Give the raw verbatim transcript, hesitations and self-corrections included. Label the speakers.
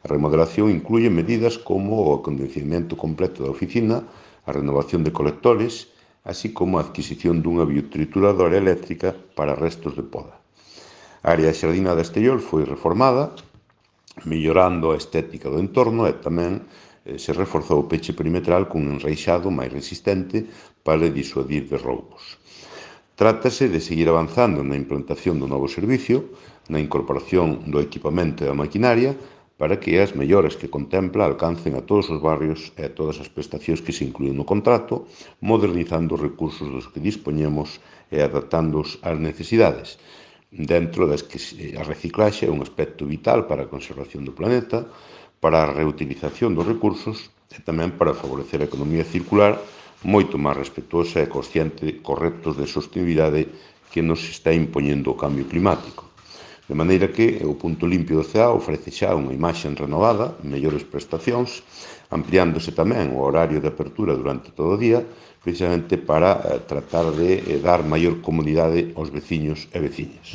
Speaker 1: A remodelación incluye medidas como o acondicionamento completo da oficina, a renovación de colectores, así como a adquisición dunha biotrituradora eléctrica para restos de poda. A área xardinada exterior foi reformada, mellorando a estética do entorno e tamén eh, se reforzou o peche perimetral cun enreixado máis resistente para disuadir de roubos. Trátase de seguir avanzando na implantación do novo servicio, na incorporación do equipamento e da maquinaria, para que as melloras que contempla alcancen a todos os barrios e a todas as prestacións que se incluen no contrato, modernizando os recursos dos que dispoñemos e adaptándoos ás necesidades, dentro das que a reciclaxe é un aspecto vital para a conservación do planeta, para a reutilización dos recursos e tamén para favorecer a economía circular moito máis respetuosa e consciente cos retos de sostenibilidade que nos está impoñendo o cambio climático. De maneira que o punto limpio do C E A ofrece xa unha imaxe renovada, mellores prestacións, ampliándose tamén o horario de apertura durante todo o día, precisamente para tratar de dar maior comodidade aos veciños e veciñas.